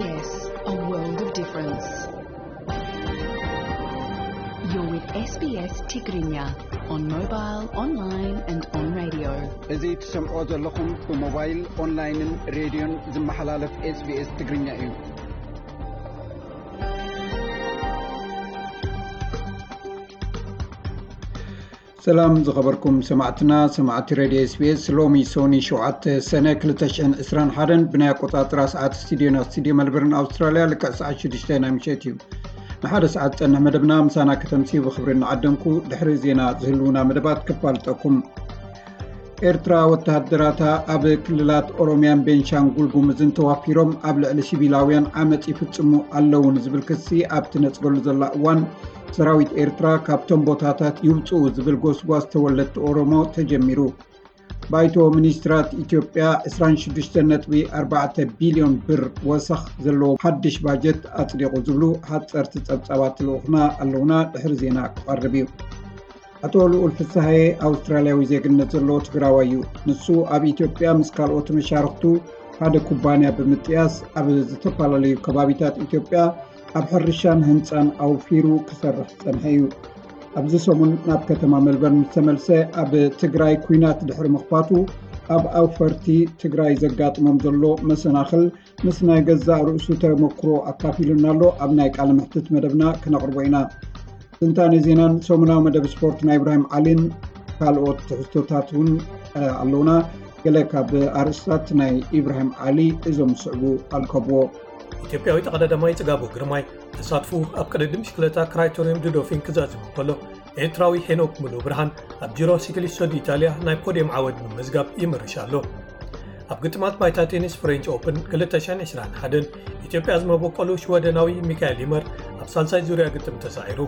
Yes, a world of difference. You're with S B S Tigrinya on mobile, online and on radio. እዚ ትሰምዖ ዘለኹም ብሞባይል፣ ኦንላይንን ሬድዮን ዝመሓላለፍ SBS ትግርኛ እዩ። ሰላም ዝኸበርኩም ሰማዕትና፣ ሰማዕቲ ሬድዮ SBS። ሎሚ ሶኒ ሸውዓተ ሰነ ክልተ ሽሕን ዕስራን ሓደን ብናይ ኣቆጻጽራ ሰዓት ስቱዲዮና ስቱዲዮ መልበርን ኣውስትራልያ ልክዕ ሰዓት ሽዱሽተ ናይ ምሸት እዩ። ንሓደ ሰዓት ዝጸንሕ መደብና ምሳና ከተምስዩ ብኽብሪ እናዓደምኩ፣ ድሕሪ ዜና ዝህልዉና መደባት ክፋልጠኩም። ኤርትራ ወተሃደራታ ኣብ ክልላት ኦሮምያን ቤንሻንጉል ጉምዝን ተዋፊሮም ኣብ ልዕሊ ሲቪላውያን ዓመጽ ይፍጽሙ ኣለዉ ንዝብል ክሲ ኣብቲ ነጽገሉ ዘላ እዋን፣ ሰራዊት ኤርትራ ካብቶም ቦታታት ይውጽኡ ዝብል ጎስጓስ ተወለድቲ ኦሮሞ ተጀሚሩ። ባይቶ ሚኒስትራት ኢትዮጵያ ዕስራን ሽዱሽተን ነጥቢ ኣርባዕተ ቢልዮን ብር ወሰኽ ዘለዎ ሓድሽ ባጀት ኣጽዲቑ ዝብሉ ሓጸርቲ ጸብጻባት ልኡኽና ኣለዉና። ድሕሪ ዜና ክቐርብ እዩ። ኣቶ ልኡል ፍስሃየ ኣውስትራልያዊ ዜግነት ዘለዎ ትግራዋይ እዩ። ንሱ ኣብ ኢትዮጵያ ምስ ካልኦት መሻርኽቱ ሓደ ኩባንያ ብምጥያስ ኣብ ዝተፈላለዩ ከባቢታት ኢትዮጵያ ኣብ ሕርሻን ህንፃን ኣውፊሩ ክሰርሕ ዝጸንሐ እዩ። ኣብዚ ሰሙን ናብ ከተማ ሜልበርን ምስ ተመልሰ፣ ኣብ ትግራይ ኲናት ድሕሪ ምኽፋቱ ኣብ ኣውፈርቲ ትግራይ ዘጋጥሞም ዘሎ መሰናኽል ምስ ናይ ገዛእ ርእሱ ተመክሮ ኣካፊሉና ኣሎ። ኣብ ናይ ቃለ መሕትት መደብና ክነቕርቦ ኢና። ትንታነ ዜናን ሰሙናዊ መደብ ስፖርት ናይ ኢብራሂም ዓሊን ካልኦት ትሕዝቶታት እውን፣ እ፣ ኣለዉና። ገለ ካብ ኣርእስታት ናይ ኢብራሂም ዓሊ እዞም ዝስዕቡ ኣልከብዎ። ኢትዮጵያዊ ተቐዳዳማይ ጽጋቡ ግርማይ ተሳትፎ ኣብ ቅድድም ብሽክለታ ክራይቶሪየም ዱዶፊን ክዛዝም እንከሎ፣ ኤርትራዊ ሄኖክ ሙሉ ብርሃን ኣብ ጂሮ ሲክሊስቶ ዲኢታልያ ናይ ፖድየም ዓወት ብምምዝጋብ ይምርሽ ኣሎ። ኣብ ግጥማት ባይታ ቴኒስ ፍሬንች ኦፕን ክልተ ሽሕን ዕስራን ሓደን ኢትዮጵያ ዝመበቆሉ ሽወደናዊ ሚካኤል ይመር ኣብ ሳልሳይ ዙርያ ግጥም ተሳዒሩ።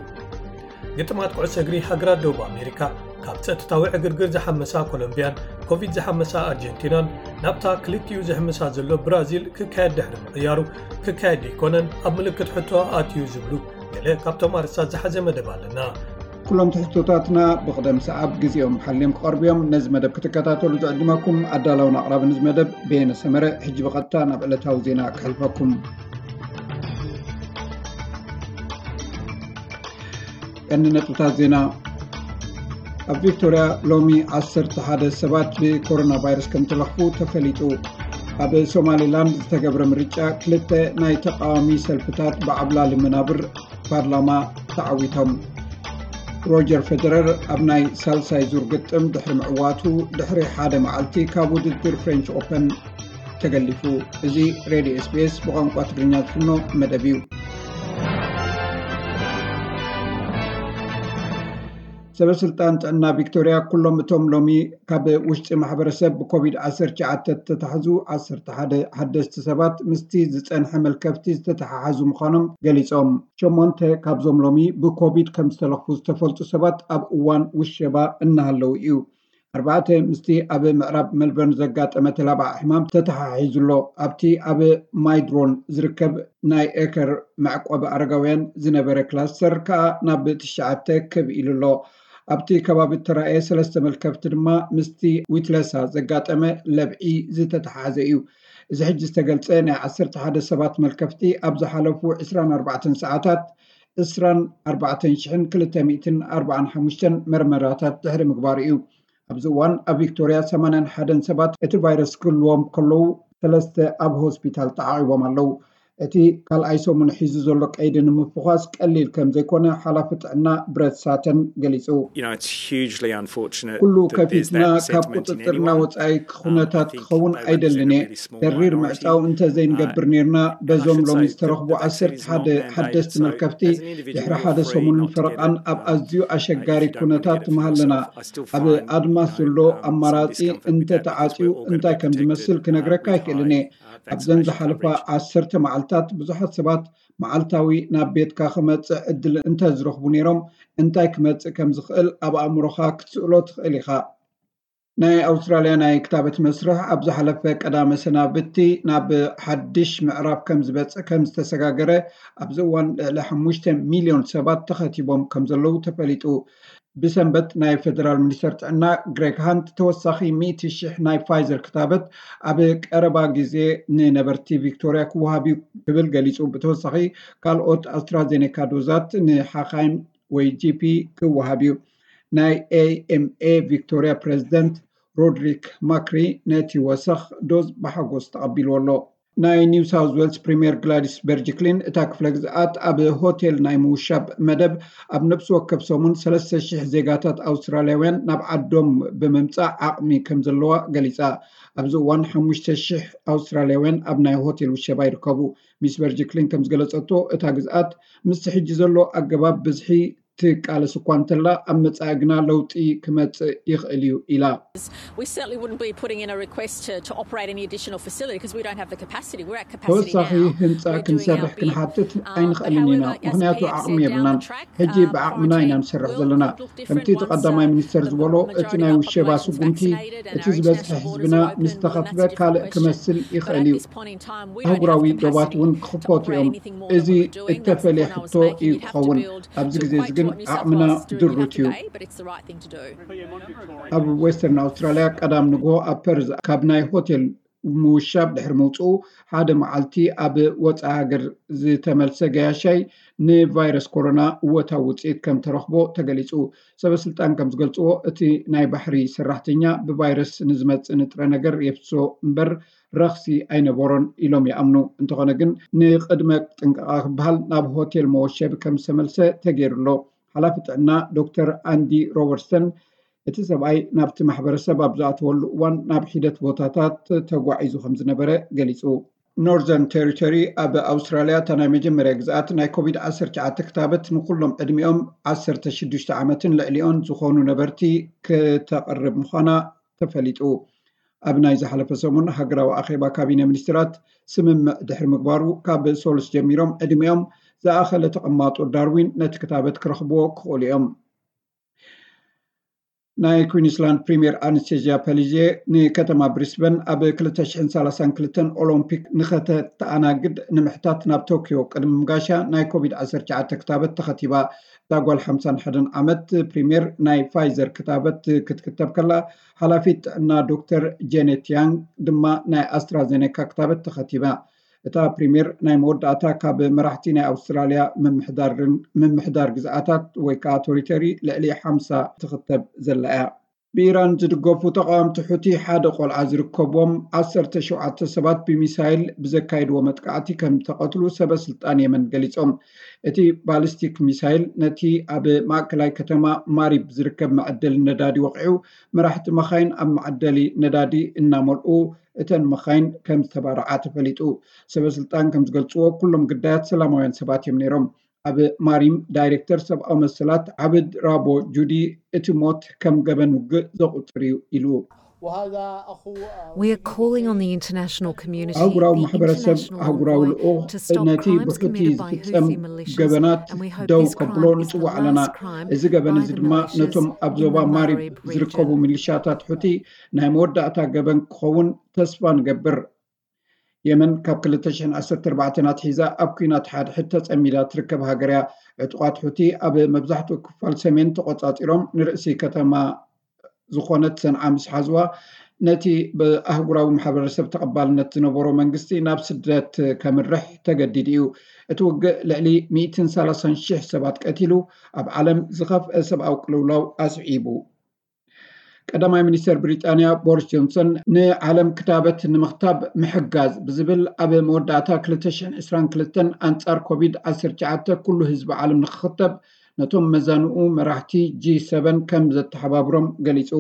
ግጥማት ኩዕሶ እግሪ ሃገራት ደቡብ ኣሜሪካ ካብ ጸጥታዊ ዕግርግር ዝሓመሳ ኮሎምቢያን ኮቪድ ዝሓመሳ ኣርጀንቲናን ናብታ ክልቲኡ ዝሕምሳ ዘሎ ብራዚል ክካየድ ድሕሪ ምቕያሩ፣ ክካየድ ዘይኮነን ኣብ ምልክት ሕቶ ኣትዩ ዝብሉ ገለ ካብቶም ኣርእስታት ዝሓዘ መደብ ኣለና። ኩሎም ትሕዝቶታትና ብቕደም ሰዓብ ግዜኦም ሓልዮም ክቐርቡ እዮም። ነዚ መደብ ክትከታተሉ ዝዕድመኩም ኣዳላውን ኣቕራብን እዚ መደብ በየነ ሰመረ። ሕጂ ብቐጥታ ናብ ዕለታዊ ዜና ክሕልፈኩም። ቀንዲ ነጥብታት ዜና። ኣብ ቪክቶርያ ሎሚ ዓሰርተ ሓደ ሰባት ብኮሮና ቫይረስ ከም ተለኽፉ ተፈሊጡ። ኣብ ሶማሊላንድ ዝተገብረ ምርጫ ክልተ ናይ ተቃዋሚ ሰልፍታት ብዓብላሊ መናብር ፓርላማ ተዓዊቶም። ሮጀር ፌደረር ኣብ ናይ ሳልሳይ ዙር ግጥም ድሕሪ ምዕዋቱ፣ ድሕሪ ሓደ መዓልቲ ካብ ውድድር ፍሬንች ኦፐን ተገሊፉ። እዚ ሬድዮ SBS ብቋንቋ ትግርኛ ዝፍኖ መደብ እዩ። ሰበ ስልጣን ጥዕና ቪክቶርያ፣ ኩሎም እቶም ሎሚ ካብ ውሽጢ ማሕበረሰብ ብኮቪድ ዓሰርተ ትሽዓተ ዝተታሕዙ ዓሰርተ ሓደ ሓደስቲ ሰባት ምስቲ ዝጸንሐ መልከፍቲ ዝተተሓሓዙ ምዃኖም ገሊጾም። ሸሞንተ ካብዞም ሎሚ ብኮቪድ ከም ዝተለኽፉ ዝተፈልጡ ሰባት ኣብ እዋን ውሸባ እናሃለዉ እዩ። ኣርባዕተ ምስቲ ኣብ ምዕራብ ሜልበርን ዘጋጠመ ተላባዒ ሕማም ተተሓሒዙ ኣሎ። ኣብቲ ኣብ ማይድሮን ዝርከብ ናይ ኤከር መዕቆቢ ኣረጋውያን ዝነበረ ክላስተር ከኣ ናብ ትሽዓተ ክብ ኢሉ ኣሎ። ኣብቲ ከባቢ እተራእየ ሰለስተ መልከፍቲ ድማ ምስቲ ዊትለሳ ዘጋጠመ ለብዒ ዝተተሓሓዘ እዩ። እዚ ሕጂ ዝተገልጸ ናይ ዓሰርተ ሓደ ሰባት መልከፍቲ ኣብ ዝሓለፉ ዕስራን ኣርባዕተን ሰዓታት ዕስራን ኣርባዕተን ሽሕን ክልተ ሚእትን ኣርባዓን ሓሙሽተን መርመራታት ድሕሪ ምግባሩ እዩ። ኣብዚ እዋን ኣብ ቪክቶርያ ሰማንያን ሓደን ሰባት እቲ ቫይረስ ክህልዎም ከለዉ፣ ሰለስተ ኣብ ሆስፒታል ተዓቒቦም ኣለዉ። እቲ ካልኣይ ሰሙን ሒዙ ዘሎ ቀይዲ ንምፍዃስ ቀሊል ከም ዘይኮነ ሓላፊ ጥዕና ብረት ሳተን ገሊጹ። You know, it's hugely unfortunate ኩሉ that there's ከፊትና that ካብ sentiment in ቁጽጽርና anyone. ወጻኢ Um, I ኩነታት think ክኸውን they ኣይደልን represent እየ። a really small ተሪር minority. ምዕጻው እንተ ዘይንገብር Uh, ነርና፣ and I በዞም should ሎሚ say ዝተረኽቡ that the vaccine ዓሰርተ ሓደ is not ሓደስቲ mandate, so መልከፍቲ as an individual, ድሕሪ ሓደ you're free ሰሙንን not to get ፈረቓን it. ኣብ Uh, ኣዝዩ if you ኣሸጋሪ don't wanna ኩነታት get it for ምሃለና። Yourself, I still ኣብ find, ኣድማስ you know, ዘሎ um, some ኣማራጺ discomfort እንተ with that because ተዓጽዩ we're all gonna እንታይ be ከም ዝመስል protected, uh, ክነግረካ with ኣይክእልን እየ። high, uh, ኣብዘን vaccination ዝሓለፋ coverage. ዓሰርተ መዓልታት ብዙሓት ሰባት መዓልታዊ ናብ ቤትካ ክመጽእ ዕድል እንተ ዝረኽቡ ነይሮም፣ እንታይ ክመጽእ ከም ዝኽእል ኣብ ኣእምሮኻ ክትስእሎ ትኽእል ኢኻ። ናይ ኣውስትራልያ ናይ ክታበት መስርሕ ኣብ ዝሓለፈ ቀዳመ ሰናብቲ ናብ ሓድሽ ምዕራፍ ከም ዝበጽሕ ከም ዝተሰጋገረ፣ ኣብዚ እዋን ልዕሊ ሓሙሽተ ሚልዮን ሰባት ተኸቲቦም ከም ዘለዉ ተፈሊጡ። ብሰንበት ናይ ፌደራል ሚኒስተር ጥዕና ግሬግ ሃንት፣ ተወሳኺ ሚእቲ ሽሕ ናይ ፋይዘር ክታበት ኣብ ቀረባ ግዜ ንነበርቲ ቪክቶርያ ክወሃብ እዩ ክብል ገሊጹ። ብተወሳኺ ካልኦት ኣስትራዜኔካ ዶዛት ንሓኻይም ወይ ጂ ፒ ክወሃብ እዩ። ናይ ኤ ኤም ኤ ቪክቶርያ ፕሬዚደንት ሮድሪክ ማክሪ ነቲ ወሰኽ ዶዝ ብሓጎስ ተቐቢልዎ ኣሎ። ናይ ኒው ሳውዝ ዌልስ ፕሪምየር ግላዲስ በርጅክሊን፣ እታ ክፍለ ግዝኣት ኣብ ሆቴል ናይ ምውሻብ መደብ ኣብ ነፍሲ ወከፍ ሰሙን ሰለስተ ሽሕ ዜጋታት ኣውስትራልያውያን ናብ ዓዶም ብምምጻእ ዓቕሚ ከም ዘለዋ ገሊጻ። ኣብዚ እዋን ሓሙሽተ ሽሕ ኣውስትራልያውያን ኣብ ናይ ሆቴል ውሸባ ይርከቡ። ሚስ በርጅክሊን ከም ዝገለጸቶ፣ እታ ግዝኣት ምስቲ ሕጂ ዘሎ ኣገባብ ብዝሒ ትቃለስ እኳ እንተላ፣ ኣብ መጻኢ ግና ለውጢ ክመጽእ ይኽእል እዩ ኢላ። We certainly wouldn't be putting in a request to, to operate any additional facility because we don't have the capacity. We're at capacity ተወሳኺ now. ህንፃ We're doing ክንሰርሕ our bit. ክንሓትት Um, ኣይንኽእልን ኢና፣ however, as ምኽንያቱ P X ዓቕሚ said, down የብልናን። the track, ሕጂ um, ብዓቕምና ኢና quarantine ንሰርሕ will ዘለና። look different ከምቲ እቲ once, ቀዳማይ um, ሚኒስተር the ዝበሎ፣ majority እቲ of ናይ our ውሸባ population is ስጉምቲ፣ vaccinated and እቲ our ዝበዝሐ international ህዝብና borders are open. ምስ Well, then ተኸትበ that's a different ካልእ question. ክመስል But ይኽእል at እዩ። this point in time, we don't have ኣህጉራዊ the ዶባት capacity እውን to ክኽፈቱ operate እዮም። anything more than እዚ what we're doing. That's the እተፈለየ point I was ሕቶ making. እዩ You'd have to ክኸውን። build ኣብዚ to ግዜ እዚ equate to ግን what New South ዓቕምና Wales is doing. You'd ድሩት have to እዩ። pay, but it's the right thing to do. ኣብ ዌስተርን ኣውስትራልያ ቀዳም ንግሆ ኣብ ፐርዝ ካብ ናይ ሆቴል ምውሻብ ድሕሪ ምውፅኡ፣ ሓደ መዓልቲ ኣብ ወፃኢ ሃገር ዝተመልሰ ገያሻይ ንቫይረስ ኮሮና እወታዊ ውፅኢት ከም ተረኽቦ ተገሊፁ። ሰበስልጣን ከም ዝገልፅዎ፣ እቲ ናይ ባሕሪ ሰራሕተኛ ብቫይረስ ንዝመፅእ ንጥረ ነገር የፍስሶ እምበር ረኽሲ ኣይነበሮን ኢሎም ይኣምኑ። እንተኾነ ግን፣ ንቅድመ ጥንቃቐ ክበሃል ናብ ሆቴል መወሸቢ ከም ዝተመልሰ ተገይሩ ኣሎ። ሓላፊ ጥዕና ዶክተር ኣንዲ ሮበርትሰን፣ እቲ ሰብኣይ ናብቲ ማሕበረሰብ ኣብ ዝኣተወሉ እዋን ናብ ሒደት ቦታታት ተጓዒዙ ከም ዝነበረ ገሊጹ። ኖርዘርን ቴሪቶሪ ኣብ ኣውስትራልያ እታ ናይ መጀመርያ ግዝኣት ናይ ኮቪድ ዓሰርተ ትሽዓተ ክታበት ንኩሎም ዕድሚኦም ዓሰርተ ሽዱሽተ ዓመትን ልዕሊኦን ዝኾኑ ነበርቲ ክተቕርብ ምዃና ተፈሊጡ። ኣብ ናይ ዝሓለፈ ሰሙን ሃገራዊ ኣኼባ ካቢነ ሚኒስትራት ስምምዕ ድሕሪ ምግባሩ፣ ካብ ሶሉስ ጀሚሮም ዕድሚኦም ዝኣኸለ ተቐማጦ ዳርዊን ነቲ ክታበት ክረኽብዎ ክኽእሉ እዮም። ናይ ኩዊንስላንድ ፕሪምየር ኣነስቴዝያ ፐሊዜ ንከተማ ብሪስበን ኣብ ክልተ ሽሕን ሰላሳን ክልተን ኦሎምፒክ ንኸተተኣናግድ ንምሕታት ናብ ቶኪዮ ቅድሚ ምጋሻ ናይ ኮቪድ ዓሰርተ ትሽዓተ ክታበት ተኸቲባ። እታ ጓል ሓምሳን ሓደን ዓመት ፕሪምየር ናይ ፋይዘር ክታበት ክትክተብ ከላ፣ ሓላፊት ጥዕና ዶክተር ጄኔት ያንግ ድማ ናይ ኣስትራዜኔካ ክታበት ተኸቲባ። እታ ፕሪምየር ናይ መወዳእታ ካብ መራሕቲ ናይ ኣውስትራልያ ምምሕዳርን ምምሕዳር ግዝኣታት ወይ ከዓ ቶሪተሪ ልዕሊ ሓምሳ ትኽተብ ዘላ እያ። ብኢራን ዝድገፉ ተቃወምቲ ሑቲ ሓደ ቆልዓ ዝርከቦም ዓሰርተ ሸውዓተ ሰባት ብሚሳይል ብዘካየድዎ መጥቃዕቲ ከም ተቐትሉ ሰበ ስልጣን የመን ገሊጾም። እቲ ባሊስቲክ ሚሳይል ነቲ ኣብ ማእከላይ ከተማ ማሪብ ዝርከብ መዐደሊ ነዳዲ ወቂዑ፣ መራሕቲ መኻይን ኣብ መዐደሊ ነዳዲ እናመልኡ እተን መኻይን ከም ዝተባርዓ ተፈሊጡ። ሰበ ስልጣን ከም ዝገልጽዎ፣ ኩሎም ግዳያት ሰላማውያን ሰባት እዮም ነይሮም። ኣብ ማሪም ዳይሬክተር ሰብኣዊ መሰላት ዓብድ ራቦ ጁዲ፣ እቲ ሞት ከም ገበን ውግእ ዘቑጽር እዩ ኢሉ። We are calling on the international community, ኣህጉራዊ the ማሕበረሰብ፣ international ኣህጉራዊ envoy, ልኡኽ to stop ነቲ crimes ብሑቲ committed by ዝፍጸም Houthi militias, ገበናት and we hope ደው this ከብሎ crime is the ንጽውዕ ኣለና። last crime እዚ ገበን by እዚ the ድማ militias ነቶም ኣብ in ዞባ the ማሪብ Marib ዝርከቡ region. ሚሊሻታት ሑቲ ናይ መወዳእታ ገበን ክኸውን ተስፋ ንገብር። የመን ካብ ክልተ ሽሕን ዓሰርተ ኣርባዕተን ኣትሒዛ ኣብ ኲናት ሓድሕድ ተጸሚዳ ትርከብ ሃገር እያ። ዕጡቓት ሑቲ ኣብ መብዛሕትኡ ክፋል ሰሜን ተቖጻጺሮም፣ ንርእሲ ከተማ ዝኾነት ሰንዓ ምስ ሓዝዋ፣ ነቲ ብኣህጉራዊ ማሕበረሰብ ተቐባልነት ዝነበሮ መንግስቲ ናብ ስደት ከምርሕ ተገዲዱ እዩ። እቲ ውግእ ልዕሊ ሚእትን ሰላሳን ሽሕ ሰባት ቀቲሉ፣ ኣብ ዓለም ዝኸፍአ ሰብኣዊ ቅልውላው ኣስዒቡ። ቀዳማይ ሚኒስተር ብሪጣንያ ቦሪስ ጆንሰን፣ ንዓለም ክታበት ንምኽታብ ምሕጋዝ ብዝብል ኣብ መወዳእታ ክልተ ሽሕን ዕስራን ክልተን ኣንጻር ኮቪድ ዓሰርተ ትሽዓተ ኩሉ ህዝቢ ዓለም ንክኽተብ ነቶም መዛንኡ መራሕቲ ጂ ሰበን ከም ዘተሓባብሮም ገሊጹ።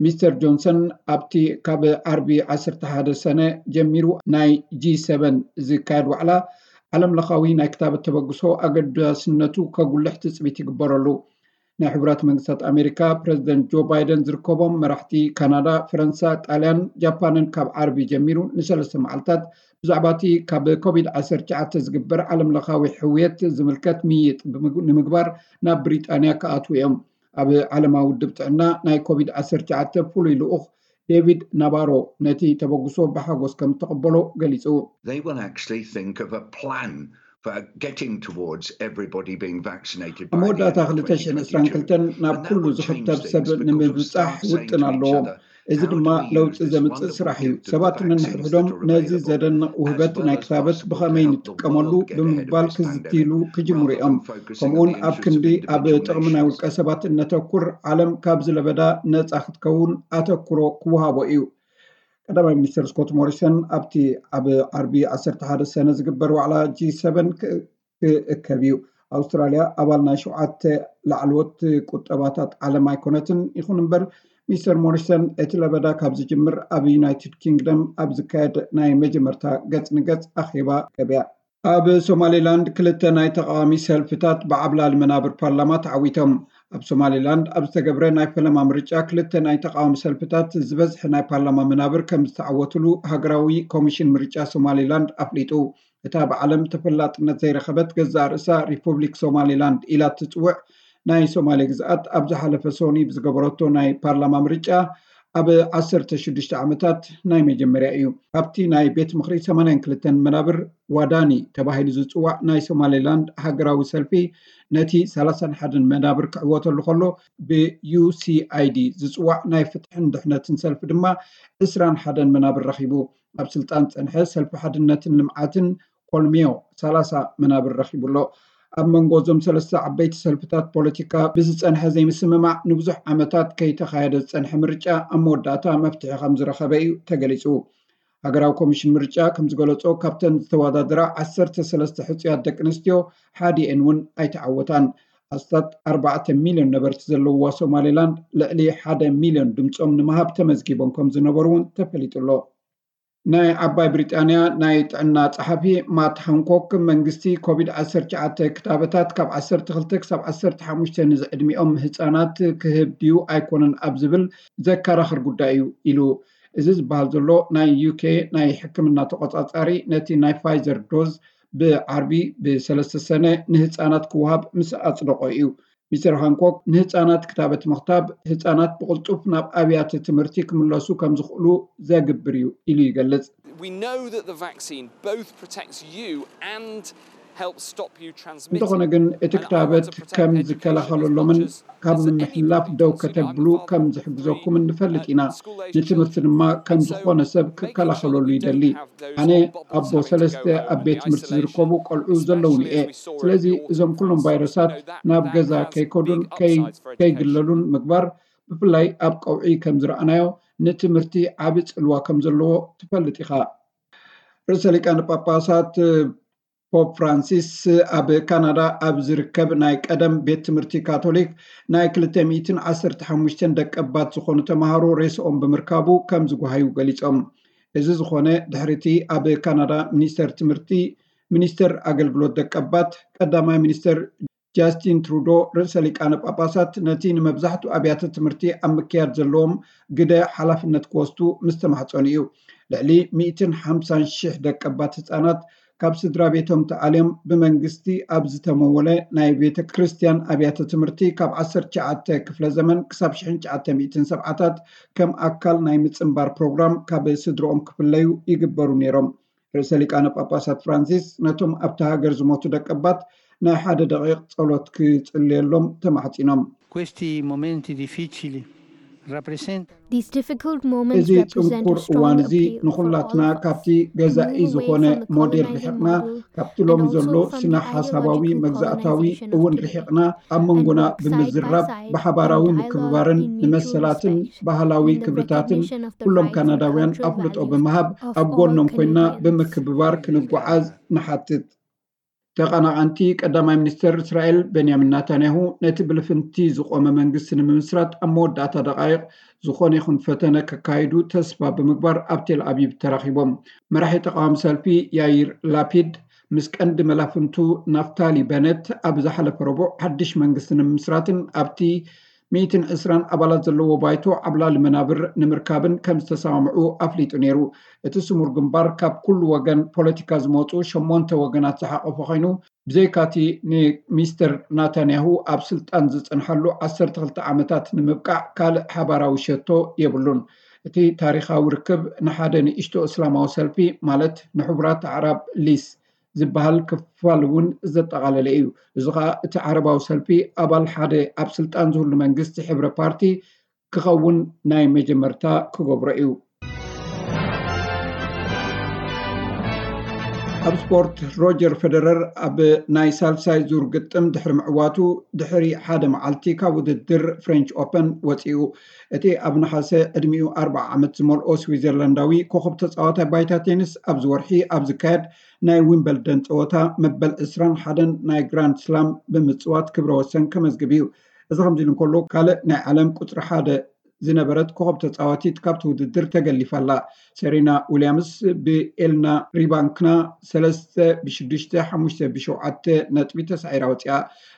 ሚስተር ጆንሰን ኣብቲ ካብ ዓርቢ ዓሰርተ ሓደ ሰነ ጀሚሩ ናይ ጂ ሰበን ዝካየድ ዋዕላ ዓለም ለኻዊ ናይ ክታበት ተበግሶ ኣገዳስነቱ ከጉልሕ ትጽቢት ይግበረሉ። ናይ ሕቡራት መንግስታት ኣሜሪካ ፕረዚደንት ጆ ባይደን ዝርከቦም መራሕቲ ካናዳ፣ ፈረንሳ፣ ጣልያን፣ ጃፓንን ካብ ዓርቢ ጀሚሩ ንሰለስተ መዓልታት ብዛዕባ እቲ ካብ ኮቪድ ዓሰርተ ትሽዓተ ዝግበር ዓለም ለኻዊ ሕውየት ዝምልከት ምይይጥ ብምግ-፣ ንምግባር ናብ ብሪጣንያ ክኣትዉ እዮም። ኣብ ዓለማዊ ውድብ ጥዕና ናይ ኮቪድ ዓሰርተ ትሽዓተ ፍሉይ ልኡኽ ዴቪድ ናባሮ ነቲ ተበግሶ ብሓጎስ ከም ተቐበሎ ገሊጹ። They will actually think of a plan ኣብ መወዳእታ ክልተ ሽሕን ዕስራን ክልተን ናብ ኩሉ ዝኽተብ ሰብ ንምብጻሕ ውጥን ኣለዎም። እዚ ድማ ለውጢ ዘምጽእ ስራሕ እዩ። ሰባት ነንሕድሕዶም ነዚ ዘደንቕ ውህበት ናይ ክታበት ብኸመይ ንጥቀመሉ ብምባል ክዝትይሉ ክጅምሩ እዮም። ከምኡውን ኣብ ክንዲ ኣብ ጥቕሚ ናይ ውልቀ ሰባት እነተኩር፣ ዓለም ካብዚ ለበዳ ነጻ ክትከውን ኣተኩሮ ክወሃቦ እዩ። ቀዳማይ ሚኒስትር ስኮት ሞሪሰን ኣብቲ ኣብ ዓርቢ ዓሰርተ ሓደ ሰነ ዝግበር ዋዕላ ጂ ሰቨን ክእከብ እዩ። ኣውስትራልያ ኣባል ናይ ሸውዓተ ላዕለዎት ቁጠባታት ዓለም ኣይኮነትን። ይኹን እምበር፣ ሚስተር ሞሪሰን እቲ ለበዳ ካብ ዝጅምር ኣብ ዩናይትድ ኪንግደም ኣብ ዝካየድ ናይ መጀመርታ ገጽ ንገጽ ኣኼባ ከብያ። ኣብ ሶማሌላንድ ክልተ ናይ ተቃዋሚ ሰልፍታት ብዓብላሊ መናብር ፓርላማ ተዓዊቶም። ኣብ ሶማሌላንድ ኣብ ዝተገብረ ናይ ፈለማ ምርጫ ክልተ ናይ ተቃዋሚ ሰልፍታት ዝበዝሐ ናይ ፓርላማ መናብር ከም ዝተዓወትሉ ሃገራዊ ኮሚሽን ምርጫ ሶማሌላንድ ኣፍሊጡ። እታ ብዓለም ተፈላጥነት ዘይረኸበት ገዛእ ርእሳ ሪፑብሊክ ሶማሌላንድ ኢላ እትጽውዕ ናይ ሶማሌ ግዝኣት ኣብ ዝሓለፈ ሶኒ ብዝገበረቶ ናይ ፓርላማ ምርጫ ኣብ ዓሰርተ ሽዱሽተ ዓመታት ናይ መጀመርያ እዩ። ኣብቲ ናይ ቤት ምኽሪ ሰማንያን ክልተን መናብር ዋዳኒ ተባሂሉ ዝጽዋዕ ናይ ሶማሌላንድ ሃገራዊ ሰልፊ ነቲ ሰላሳን ሓደን መናብር ክዕወተሉ ከሎ፣ ብዩ ሲ ኣይ ዲ ዝጽዋዕ ናይ ፍትሕን ድሕነትን ሰልፊ ድማ ዕስራን ሓደን መናብር ረኺቡ። ኣብ ስልጣን ጸንሐ ሰልፊ ሓድነትን ልምዓትን ኮልሚዮ ሰላሳ መናብር ረኺቡ ኣሎ። ኣብ መንጎ እዞም ሰለስተ ዓበይቲ ሰልፍታት ፖለቲካ ብዝጸንሐ ዘይምስምማዕ ንብዙሕ ዓመታት ከይተኻየደ ዝጸንሐ ምርጫ ኣብ መወዳእታ መፍትሒ ከም ዝረኸበ እዩ ተገሊጹ። ሃገራዊ ኮሚሽን ምርጫ ከም ዝገለጾ፣ ካብተን ዝተወዳደራ ዓሰርተ ሰለስተ ሕጹያት ደቂ ኣንስትዮ ሓዲኤን እውን ኣይተዓወታን። ኣስታት ኣርባዕተ ሚልዮን ነበርቲ ዘለውዋ ሶማሌላንድ ልዕሊ ሓደ ሚልዮን ድምጾም ንምሃብ ተመዝጊቦም ከም ዝነበሩ እውን ተፈሊጡ ኣሎ። ናይ ዓባይ ብሪጣንያ ናይ ጥዕና ጸሓፊ ማት ሃንኮክ፣ መንግስቲ ኮቪድ ዓሰርተ ትሽዓተ ክታበታት ካብ ዓሰርተ ክልተ ክሳብ ዓሰርተ ሓሙሽተ ንዝዕድሚኦም ህጻናት ክህብ ድዩ ኣይኮነን ኣብ ዝብል ዘከራኽር ጉዳይ እዩ ኢሉ። እዚ ዝበሃል ዘሎ፣ ናይ ዩ ኬ ናይ ሕክምና ተቆጻጻሪ ነቲ ናይ ፋይዘር ዶዝ ብዓርቢ ብሰለስተ ሰነ ንህጻናት ክወሃብ ምስ ኣጽደቆ እዩ። ሚስተር ሃንኮክ፣ ንህጻናት ክታበት ምኽታብ ህጻናት ብቕልጡፍ ናብ ኣብያተ ትምህርቲ ክምለሱ ከም ዝኽእሉ ዘግብር እዩ ኢሉ ይገልጽ። We know that the vaccine both protects you and helps stop you transmitting. እንተኾነ ግን፣ እቲ ክታበት ከም ዝከላኸለሎምን ካብ ምምሕልላፍ ደው ከተብሉ ከም ዝሕግዘኩም እንፈልጥ ኢና። ንትምህርቲ ድማ ከም ዝኾነ ሰብ ክከላኸለሉ ይደሊ። ኣነ ኣቦ ሰለስተ ኣብ ቤት ትምህርቲ ዝርከቡ ቆልዑ ዘለውኒ እየ። ስለዚ እዞም ኩሎም ቫይረሳት ናብ ገዛ ከይከዱን ከይግለሉን ምግባር፣ ብፍላይ ኣብ ቀውዒ ከም ዝረኣናዮ፣ ንትምህርቲ ዓቢ ጽልዋ ከም ዘለዎ ትፈልጥ ኢኻ። ርእሰ ሊቃነ ጳጳሳት ፖፕ ፍራንሲስ ኣብ ካናዳ ኣብ ዝርከብ ናይ ቀደም ቤት ትምህርቲ ካቶሊክ ናይ ክልተ ሚእትን ዓሰርተ ሓሙሽተን ደቀባት ዝኾኑ ተምሃሮ ሬስኦም ብምርካቡ ከም ዝጓሃዩ ገሊጾም። እዚ ዝኾነ ድሕሪቲ ኣብ ካናዳ ሚኒስተር ትምህርቲ፣ ሚኒስተር ኣገልግሎት ደቀባት፣ ቀዳማይ ሚኒስተር ጃስቲን ትሩዶ፣ ርእሰ ሊቃነ ጳጳሳት ነቲ ንመብዛሕትኡ ኣብያተ ትምህርቲ ኣብ ምክያድ ዘለዎም ግደ ሓላፍነት ክወስዱ ምስ ተማሕጸኑ እዩ። ልዕሊ ሚእትን ሓምሳን ሽሕ ደቀባት ህጻናት ካብ ስድራ ቤቶም ተኣልዮም ብመንግስቲ ኣብ ዝተመወለ ናይ ቤተ ክርስቲያን ኣብያተ ትምህርቲ ካብ ዓሰርተ ትሽዓተ ክፍለ ዘመን ክሳብ ሽሕን ትሽዓተ ሚእትን ሰብዓታት ከም ኣካል ናይ ምጽንባር ፕሮግራም ካብ ስድርኦም ክፍለዩ ይግበሩ ነይሮም። ርእሰ ሊቃነ ጳጳሳት ፍራንሲስ ነቶም ኣብቲ ሃገር ዝሞቱ ደቀባት ናይ ሓደ ደቂቕ ጸሎት ክጽልየሎም ተማሕጺኖም። Questi momenti difficili rappresentano እዚ ጽንኩር እዋን እዚ ንኹላትና ካብቲ ገዛኢ ዝኾነ ሞዴል ርሒቕና፣ ካብቲ ሎሚ ዘሎ ስነ ሓሳባዊ መግዛእታዊ እውን ርሒቕና፣ ኣብ መንጎና ብምዝራብ ብሓባራዊ ምክብባርን ንመሰላትን ባህላዊ ክብርታትን ኩሎም ካናዳውያን ኣፍልጦ ብምሃብ ኣብ ጎኖም ኮይና ብምክብባር ክንጓዓዝ ንሓትት። ተቐናቐንቲ ቀዳማይ ሚኒስተር እስራኤል ቤንያሚን ናታንያሁ ነቲ ብልፍንቲ ዝቖመ መንግስቲ ንምምስራት ኣብ መወዳእታ ደቓይቕ ዝኾነ ይኹን ፈተነ ከካይዱ ተስፋ ብምግባር ኣብ ቴል ኣቪቭ ተራኺቦም። መራሒ ተቓዋሚ ሰልፊ ያይር ላፒድ ምስ ቀንዲ መላፍንቱ ናፍታሊ በነት ኣብ ዝሓለፈ ረቡዕ ሓድሽ መንግስቲ ንምምስራትን ኣብቲ ሚእትን ዕስራን ኣባላት ዘለዎ ባይቶ ዓብላሊ መናብር ንምርካብን ከም ዝተሰማምዑ ኣፍሊጡ ነይሩ። እቲ ስሙር ግንባር ካብ ኩሉ ወገን ፖለቲካ ዝመፁ ሸሞንተ ወገናት ዝሓቆፈ ኮይኑ፣ ብዘይካቲ ንሚስተር ናታንያሁ ኣብ ስልጣን ዝፀንሓሉ ዓሰርተ ክልተ ዓመታት ንምብቃዕ ካልእ ሓባራዊ ሸቶ የብሉን። እቲ ታሪኻዊ ርክብ ንሓደ ንእሽቶ እስላማዊ ሰልፊ ማለት ንሕቡራት ኣዕራብ ሊስ ዝበሃል ክፋል እውን ዘጠቓለለ እዩ። እዚ ከዓ እቲ ዓረባዊ ሰልፊ ኣባል ሓደ ኣብ ስልጣን ዝህሉ መንግስቲ ሕብረ ፓርቲ ክኸውን ናይ መጀመርታ ክገብሮ እዩ። ኣብ ስፖርት፣ ሮጀር ፌደረር ኣብ ናይ ሳልሳይ ዙር ግጥም ድሕሪ ምዕዋቱ ድሕሪ ሓደ መዓልቲ ካብ ውድድር ፍሬንች ኦፐን ወፂኡ። እቲ ኣብ ነሓሰ ዕድሚኡ ኣርብዓ ዓመት ዝመልኦ ስዊዘርላንዳዊ ኮኸብ ተፃዋታይ ባይታ ቴኒስ ኣብዚ ወርሒ ኣብ ዝካየድ ናይ ዊምበልደን ፀወታ መበል ዕስራን ሓደን ናይ ግራንድ ስላም ብምፅዋት ክብረ ወሰን ከመዝግብ እዩ። እዚ ከምዚ ኢሉ እንከሎ፣ ካልእ ናይ ዓለም ቁፅሪ ሓደ ዝነበረት ኮኸብ ተፃዋቲት ካብቲ ውድድር ተገሊፋ ኣላ። ሰሪና ዊልያምስ ብኤልና ሪባንክና ሰለስተ ብሽዱሽተ፣ ሓሙሽተ ብሸውዓተ ነጥቢ ተሳዒራ ወፂኣ።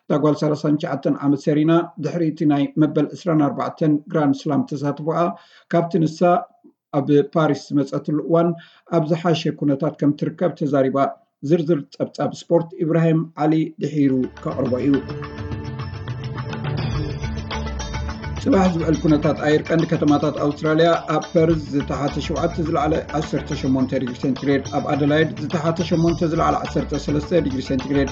እታ ጓል ሰላሳን ትሽዓተን ዓመት ሰሪና ድሕሪ እቲ ናይ መበል ዕስራን ኣርባዕተን ግራንድ ስላም ተሳትፎኣ ካብቲ ንሳ ኣብ ፓሪስ ዝመፀትሉ እዋን ኣብ ዝሓሸ ኩነታት ከም ትርከብ ተዛሪባ። ዝርዝር ፀብፃብ ስፖርት ኢብራሂም ዓሊ ድሒሩ ከቕርቦ እዩ። ፅባሕ ዝውዕል ኩነታት ኣየር ቀንዲ ከተማታት ኣውስትራልያ፣ ኣብ ፐርዝ ዝተሓተ ሸውዓተ ዝለዓለ ዓሰርተ ሸሞንተ ዲግሪ ሴንቲግሬድ፣ ኣብ ኣደላይድ ዝተሓተ ሸሞንተ ዝለዓለ ዓሰርተ ሰለስተ ዲግሪ ሴንቲግሬድ፣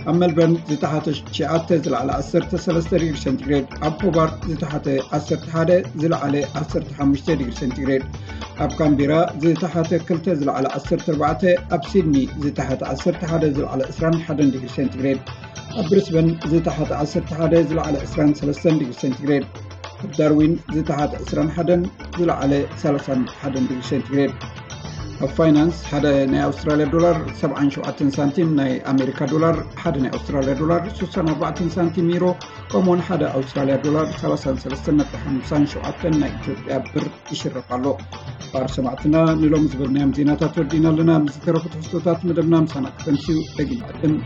ኣብ ሜልበርን ዝተሓተ ትሽዓተ ዝለዓለ ዓሰርተ ሰለስተ ዲግሪ ሴንቲግሬድ፣ ኣብ ሆባርት ዝተሓተ ዓሰርተ ሓደ ዝለዓለ ዓሰርተ ሓሙሽተ ዲግሪ ሴንቲግሬድ፣ ኣብ ካምቤራ ዝተሓተ ክልተ ዝለዓለ ዓሰርተ ኣርባዕተ፣ ኣብ ሲድኒ ዝተሓተ ዓሰርተ ሓደ ዝለዓለ ዕስራን ሓደን ዲግሪ ሴንቲግሬድ፣ ኣብ ብሪስበን ዝተሓተ ዓሰርተ ሓደ ዝለዓለ ዕስራን ሰለስተን ዲግሪ ሴንቲግሬድ፣ ኣብ ዳርዊን ዝተሓተ ዕስራን ሓደን ዝለዓለ ሰላሳን ሓደን ዲግሪ ሴንቲግሬድ። ኣብ ፋይናንስ፣ ሓደ ናይ ኣውስትራልያ ዶላር ሰብዓን ሸውዓተን ሳንቲም፣ ናይ ኣሜሪካ ዶላር ሓደ ናይ ኣውስትራልያ ዶላር ስሳን ኣርባዕተን ሳንቲም፣ ዩሮ ከምኡውን ሓደ ኣውስትራልያ ዶላር ሰላሳን ሰለስተን ነጥቢ ሓምሳን ሸውዓተን ናይ ኢትዮጵያ ብር ይሽረፍ ኣሎ። ባር ሰማዕትና፣ ንሎሚ ዝበልናዮም ዜናታት ወዲና ኣለና። ምስ ዝተረፉ ትሕዝቶታት መደብና ምሳና ክተምስዩ ደጊም ዕድም።